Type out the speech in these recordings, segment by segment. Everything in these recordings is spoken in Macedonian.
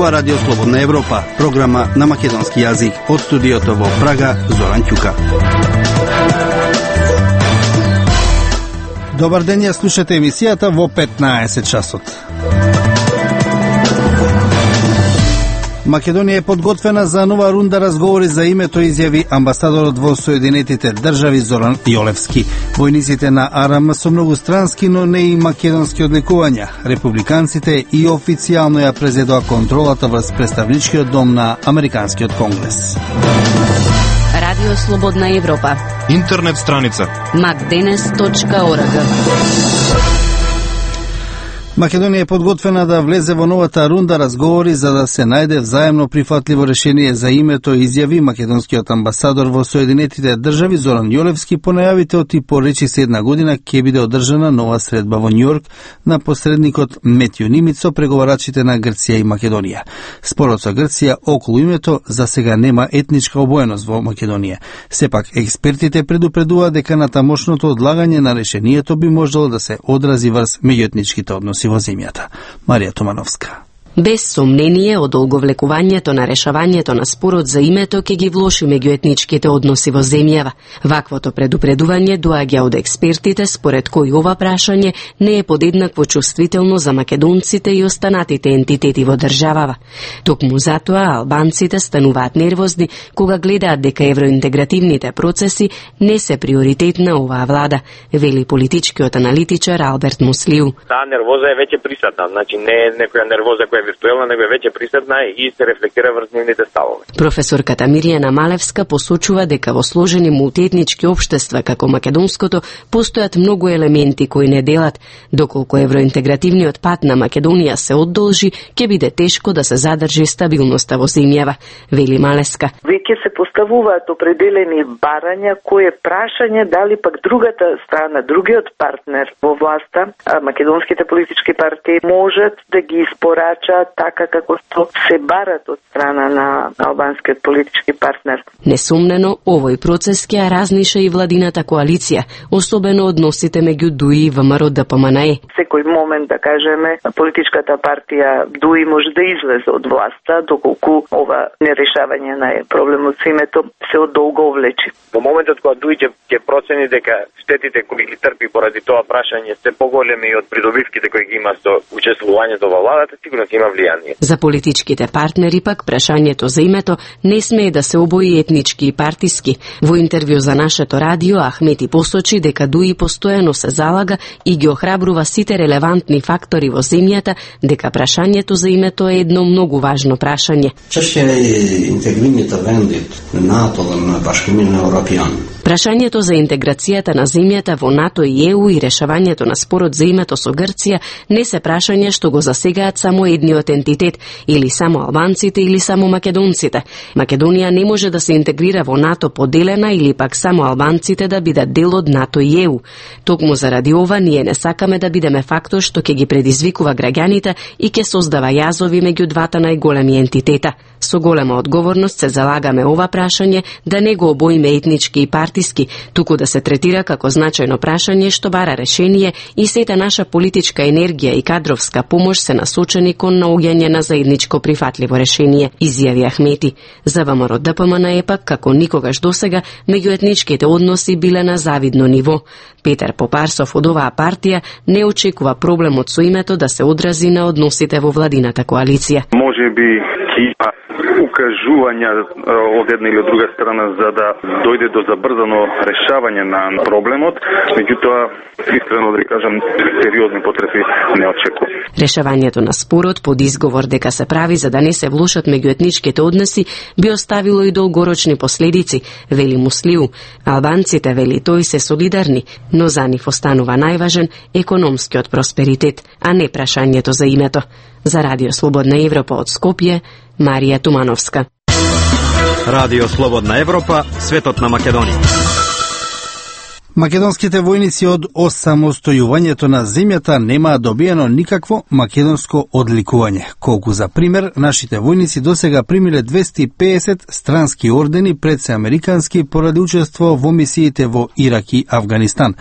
зборува Радио Слободна Европа, програма на македонски јазик. Од студиото во Прага, Зоран Ќука. Добар ден, ја слушате емисијата во 15 часот. Македонија е подготвена за нова рунда разговори за името, изјави амбасадорот во Соединетите држави Зоран Јолевски. Војниците на АРМ со многустрански, но не и македонски одликувања. Републиканците и официјално ја презедоа контролата врз представничкиот дом на Американскиот конгрес. Радио Слободна Европа. Интернет страница macdenes.org. Македонија е подготвена да влезе во новата рунда разговори за да се најде взаемно прифатливо решение за името, изјави македонскиот амбасадор во Соединетите држави Зоран Јолевски по најавите и поречи се една година ќе биде одржана нова средба во Њујорк на посредникот Метју Нимиц со преговарачите на Грција и Македонија. Спорот со Грција околу името за сега нема етничка обоеност во Македонија. Сепак експертите предупредуваат дека натамошното одлагање на решението би можело да се одрази врз меѓуетничките односи во земјата. Марија Тумановска. Без сомнение, одолговлекувањето на решавањето на спорот за името ќе ги влоши меѓуетничките односи во земјава. Ваквото предупредување доаѓа од експертите, според кои ова прашање не е подеднакво чувствително за македонците и останатите ентитети во државава. Токму затоа албанците стануваат нервозни кога гледаат дека евроинтегративните процеси не се приоритет на оваа влада, вели политичкиот аналитичар Алберт Муслиу. Таа нервоза е веќе присутна, значи не е некоја нервоза која виртуелна, него е веќе присутна и се рефлектира врз нивните ставови. Професорката Мирјана Малевска посочува дека во сложени мултиетнички општества како македонското постојат многу елементи кои не делат. Доколку евроинтегративниот пат на Македонија се одолжи, ќе биде тешко да се задржи стабилноста во земјава, вели Малевска. Веќе се поставуваат определени барања, кое прашање дали пак другата страна, другиот партнер во власта, македонските политички партии можат да ги испорачаат така како што се барат од страна на албанскиот политички партнер. Несумнено, овој процес ќе ја разниша и владината коалиција, особено односите меѓу ДУИ и ВМРО-ДПМНЕ. Секој момент, да кажеме, политичката партија ДУИ може да излезе од власта, доколку ова нерешавање на проблемот со името се одолговлечи. Во моментот кога ДУИ ќе процени дека штетите кои ги трпи поради тоа прашање се поголеми од придобивките кои ги има со учествувањето во владата, сигурно ќе има влијание. За политичките партнери пак прашањето за името не смее да се обои етнички и партиски. Во интервју за нашето радио Ахмети посочи дека ДУИ постојано се залага и ги охрабрува сите релевантни фактори во земјата дека прашањето за името е едно многу важно прашање. Прашањето за интеграцијата на земјата во НАТО и ЕУ и решавањето на спорот за името со Грција не се прашања што го засегаат само едниот ентитет, или само албанците, или само македонците. Македонија не може да се интегрира во НАТО поделена или пак само албанците да бидат дел од НАТО и ЕУ. Токму заради ова ние не сакаме да бидеме фактор што ќе ги предизвикува граѓаните и ќе создава јазови меѓу двата најголеми ентитета. Со голема одговорност се залагаме ова прашање да не го обоиме етнички и партиски, туку да се третира како значајно прашање што бара решение и сета наша политичка енергија и кадровска помош се насочени кон наоѓање на заедничко прифатливо решение, изјави Ахмети. За ВМРО-ДПМНЕ пак како никогаш досега меѓуетничките односи биле на завидно ниво. Петар Попарсов од оваа партија не очекува проблемот со името да се одрази на односите во владината коалиција. Можеби има укажувања од една или од друга страна за да дојде до забрзано решавање на проблемот, меѓутоа искрено да кажам сериозни потреби не очекувам. Решавањето на спорот под изговор дека се прави за да не се влошат меѓуетничките односи би оставило и долгорочни последици, вели Муслиу. Албанците, вели тој, се солидарни, но за нив останува најважен економскиот просперитет, а не прашањето за името. За Радио Слободна Европа од Скопје, Марија Тумановска. Радио Слободна Европа, светот на Македонија. Македонските војници од осамостојувањето на земјата немаа добиено никакво македонско одликување. Колку за пример, нашите војници досега примиле 250 странски ордени пред се американски поради учество во мисиите во Ирак и Авганистан.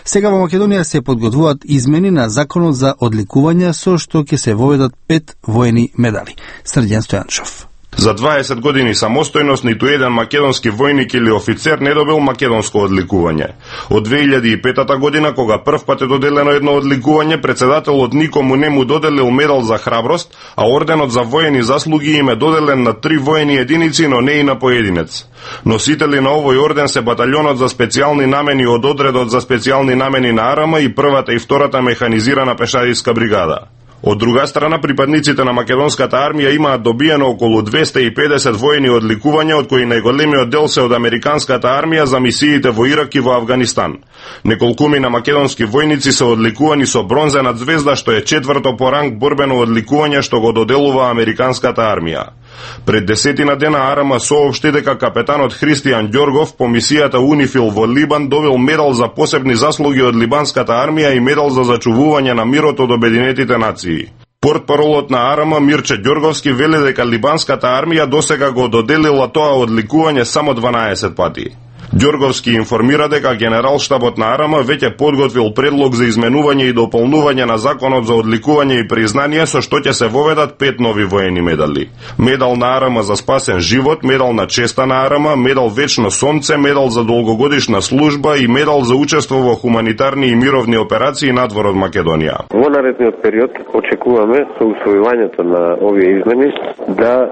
Сега во Македонија се подготвуваат измени на законот за одликување со што ќе се воведат 5 воени медали. Срđan Стојанчов. За 20 години самостојност ниту еден македонски војник или офицер не добил македонско одликување. Од 2005 година, кога прв пат е доделено едно одликување, председателот никому не му доделил медал за храброст, а орденот за воени заслуги им е доделен на 3 воени единици, но не и на поединец. Носители на овој орден се баталјонот за специјални намени од одредот за специјални намени на АРМ и првата и втората механизирана пешадиска бригада. Од друга страна, припадниците на македонската армија имаат добиено околу 250 воени одликувања, од кои најголемиот дел се од американската армија за мисиите во Ирак и во Авганистан. Неколкумина македонски војници се одликувани со бронзена звезда, што е 4-то по ранг борбено одликување што го доделува американската армија. Пред 10 дена АРМ соопшти дека капетанот Христијан Ѓоргов по мисијата Унифил во Либан добил медал за посебни заслуги од либанската армија и медал за зачувување на мирот од Обединетите нации. Портпаролот на АРМ Мирче Ѓорговски вели дека либанската армија досега го доделила тоа одликување само 12 пати. Ѓорговски информира дека генералштабот на АРМ веќе подготвил предлог за изменување и дополнување на законот за одликување и признание со што ќе се воведат 5 нови воени медали. Медал на АРМ за спасен живот, медал на честа на АРМ, медал вечно сонце, медал за долгогодишна служба и медал за учество во хуманитарни и мировни операции надвор од Македонија. Во наредниот период очекуваме со усвојувањето на овие измени да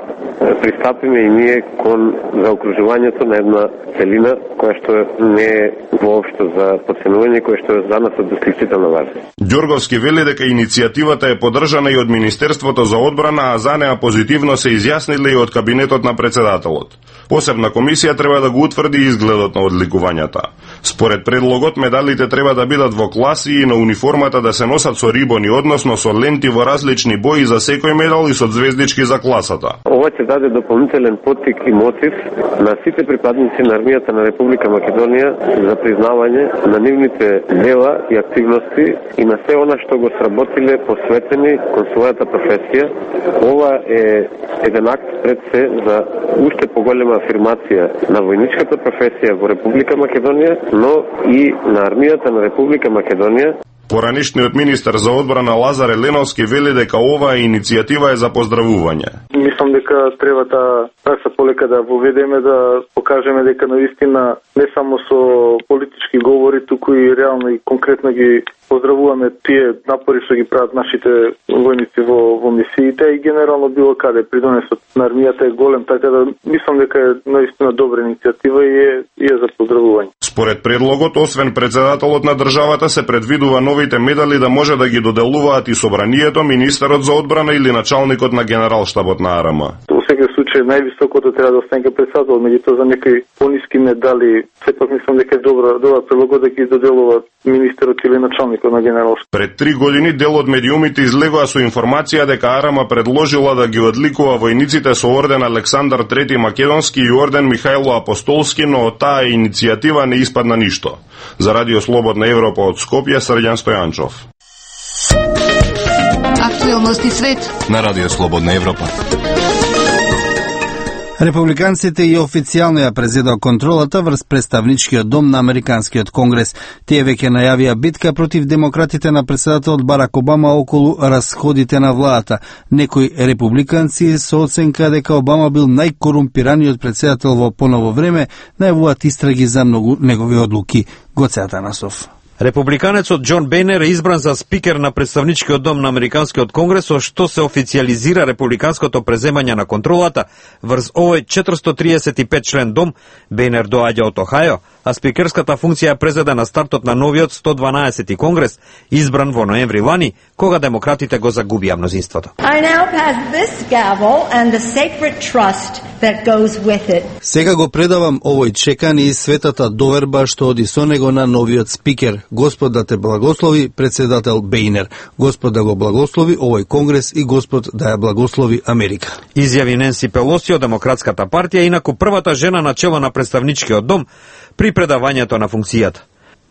пристапиме и ние кон заокружувањето на една целина која што не е воопшто за подценување, која што за нас од исклучителна важност. Ѓорговски вели дека иницијативата е поддржана и од Министерството за одбрана, а за неа позитивно се изјасниле и од кабинетот на председателот. Посебна комисија треба да го утврди изгледот на одликувањата. Според предлогот, медалите треба да бидат во класи и на униформата да се носат со рибони, односно со ленти во различни бои за секој медал и со звездички за класата. Ова ќе даде дополнителен поттик и мотив на сите припадници на армијата на Република Македонија за признавање на нивните дела и активности и на се она што го сработиле посветени кон својата професија. Ова е еден акт пред се за уште поголема афирмација на војничката професија во Република Македонија, но и на армијата на Република Македонија. Поранишниот министер за одбрана Лазар Еленовски вели дека оваа иницијатива е за поздравување. Мислам дека треба да такса полека да воведеме, да покажеме дека наистина не само со политички говори, туку и реално и конкретно ги поздравуваме тие напори што ги прават нашите војници во мисиите и генерално било каде. Придонесот на армијата е голем, така да мислам дека е наистина добра иницијатива и е за поздравување. Според предлогот, освен председателот на државата, се предвидува новите медали да може да ги доделуваат и собранието, министерот за одбрана или началникот на генералштабот на АРМ. Во секој случај највисокото треба да остане председател, меѓутоа за некои пониски медали, сепак мислам дека е добра предлога да ги доделува министерот или началникот на генералштабот. Пред 3 години дел од медиумите излегоа со информација дека АРМ предложила да ги одликува војниците со орден Александар III Македонски и орден Михајло Апостолски, но од таа иницијатива не испадна ништо. За Радио Слободна Европа од Скопје, Срđan Стојанчов. Актуелности свет на Радио Слободна Европа. Републиканците и официјално ја презедоа контролата врз представничкиот дом на Американскиот конгрес. Тие веќе најавија битка против демократите на председателот Барак Обама околу расходите на владата. Некои републиканци со оценка дека Обама бил најкорумпираниот председател во поново време, најавуваат истраги за многу негови одлуки. Гоце Атанасов. Републиканецот Џон Бејнер е избран за спикер на представничкиот дом на Американскиот конгрес, со што се официализира републиканското преземање на контролата врз овој 435 член дом. Бејнер доаѓа од Охајо, а спикерската функција е презеда на стартот на новиот 112 конгрес, избран во ноември лани, кога демократите го загубија мнозинството. Сега го предавам овој чекан и светата доверба што оди со него на новиот спикер. Господ да те благослови, председател Бејнер. Господ да го благослови овој конгрес и Господ да ја благослови Америка. Изјави Ненси Пелоси од Демократската партија, инаку првата жена на чело на представничкиот дом при предавањето на функцијата.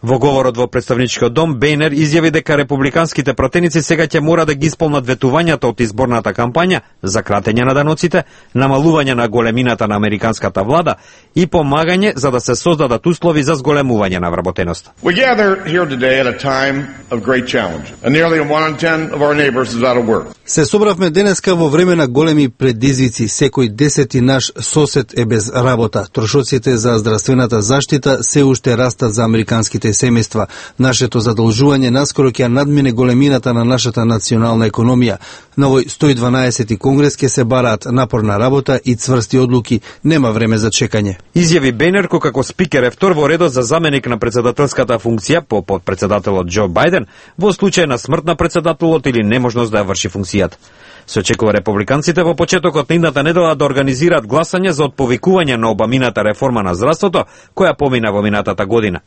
Во говорот во представничкиот дом, Бейнер изјави дека републиканските пратеници сега ќе мора да ги исполнат ветувањата од изборната кампања за кратење на даноците, намалување на големината на американската влада и помагање за да се создадат услови за зголемување на вработеноста. We gather here today at a time of great challenge. Nearly 1 in 10 of our neighbors is out of work. Се собравме денеска во време на големи предизвици. Секој 10 наш сосед е без работа. Трошоците за здравствената заштита се уште растат за американските семејства. Нашето задолжување наскоро ќе надмине големината на нашата национална економија. На овој 112 конгрес ќе се бараат напорна работа и цврсти одлуки. Нема време за чекање. Изјави Бейнер како спикер е втор во редот за заменик на председателската функција по подпредседателот Џо Бајден во случај на смрт на председателот или неможност да ја врши функцијата. Се очекува републиканците во почетокот на идната недела да организираат гласање за отповикување на обамината реформа на здравството, која помина во минатата година.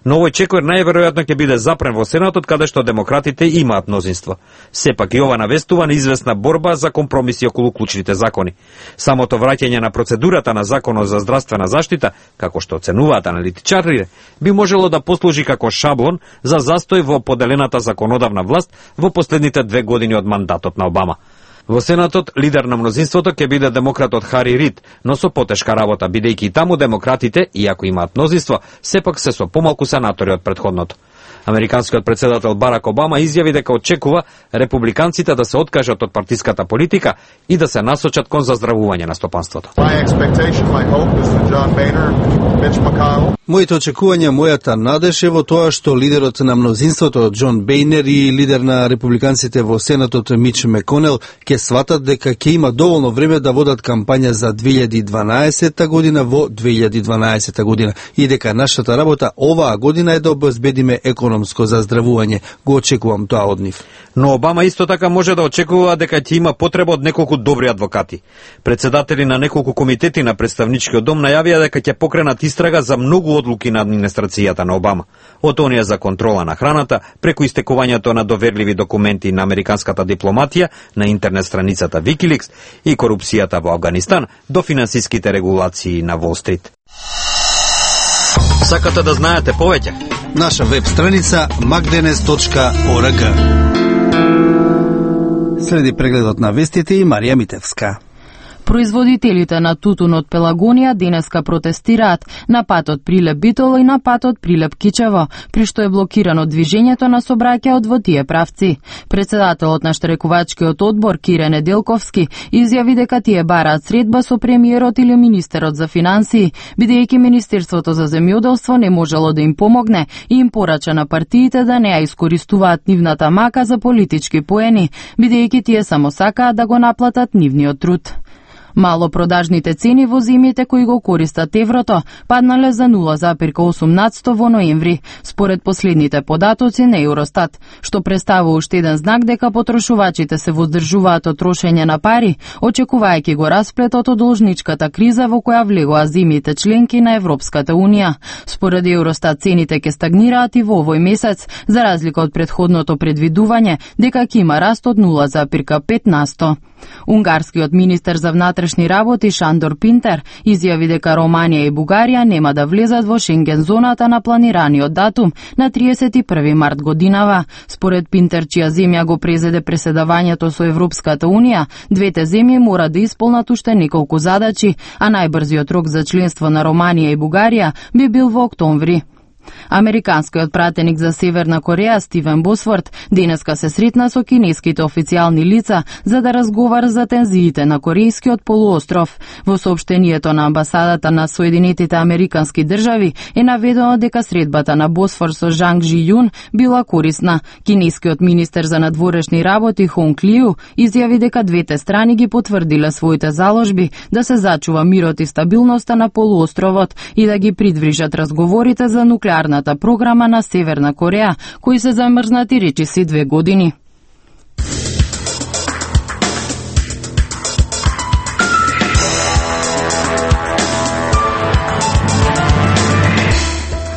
Но овој чекор најверојатно ќе биде запрен во Сенатот, каде што демократите имаат мнозинство. Сепак и ова навестува на известна борба за компромиси околу клучните закони. Самото враќање на процедурата на Законот за здравствена заштита, како што оценуваат аналитичарите, би можело да послужи како шаблон за застој во поделената законодавна власт во последните 2 години од мандатот на Обама. Во Сенатот, лидер на мнозинството ќе биде демократот Хари Рид, но со потешка работа, бидејќи и таму демократите, иако имаат мнозинство, сепак се со помалку сенатори од претходното. Американскиот председател Барак Обама изјави дека очекува републиканците да се откажат од партиската политика и да се насочат кон заздравување на стопанството. Моите очекувања, мојата надеж е во тоа што лидерот на мнозинството Џон Бейнер и лидер на републиканците во Сенатот Мич Меконел ќе сватат дека ќе има доволно време да водат кампања за 2012 година во 2012 година и дека нашата работа оваа година е да обезбедиме економско заздравување. Го очекувам тоа од нив. Но Обама исто така може да очекува дека ќе има потреба од неколку добри адвокати. Председатели на неколку комитети на представничкиот дом најавија дека ќе покренат истрага за многу одлуки на администрацијата на Обама. Од оние за контрола на храната, преку истекувањето на доверливи документи на американската дипломатија, на интернет страницата Wikileaks и корупцијата во Авганистан, до финансиските регулации на Wall Street. Сакате да знаете повеќе? Наша веб страница magdenes.org. Следи прегледот на вестите и Марија Митевска. Производителите на тутун од Пелагонија денеска протестираат на патот Прилеп Битола и на патот Прилеп Кичево, при што е блокирано движењето на сообраќајот во тие правци. Председателот на штрекувачкиот одбор Кире Неделковски изјави дека тие бараат средба со премиерот или министерот за финансии, бидејќи Министерството за земјоделство не можело да им помогне и им порача на партиите да не ја искористуваат нивната мака за политички поени, бидејќи тие само сакаат да го наплатат нивниот труд. Малопродажните цени во земјите кои го користат еврото паднале за 0,8% во ноември, според последните податоци на Евростат, што представува уште еден знак дека потрошувачите се воздржуваат од трошење на пари, очекувајќи го расплетот од должничката криза во која влегоа земјите членки на Европската Унија. Според Евростат цените ќе стагнираат и во овој месец, за разлика од претходното предвидување дека ќе има раст од 0,5%. Унгарскиот министер за внатрешни работи Шандор Пинтер изјави дека Романија и Бугарија нема да влезат во Шенген зоната на планираниот датум на 31 март годинава. Според Пинтер, чија земја го презеде преседавањето со Европската Унија, двете земји мора да исполнат уште неколку задачи, а најбрзиот рок за членство на Романија и Бугарија би бил во октомври. Американскиот пратеник за Северна Кореја Стивен Босфорд денеска се сретна со кинеските официјални лица за да разговара за тензиите на Корејскиот полуостров. Во соопштението на амбасадата на Соединетите Американски држави е наведено дека средбата на Босфор со Жанг Жи Јун била корисна. Кинескиот министер за надворешни работи Хонг Лиу изјави дека двете страни ги потврдиле своите заложби да се зачува мирот и стабилноста на полуостровот и да ги придвижат разговорите за нуклеарната програма на Северна Кореја, кои се замрзнати речиси 2 години.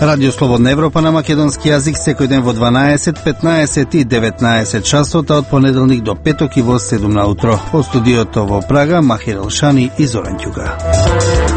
Радио Слободна Европа на македонски јазик секој ден во 12, 15 и 19 часот, од понеделник до петок и во 7 на утро. Во студиото во Прага Махир Елшани и Зоран Ќуга.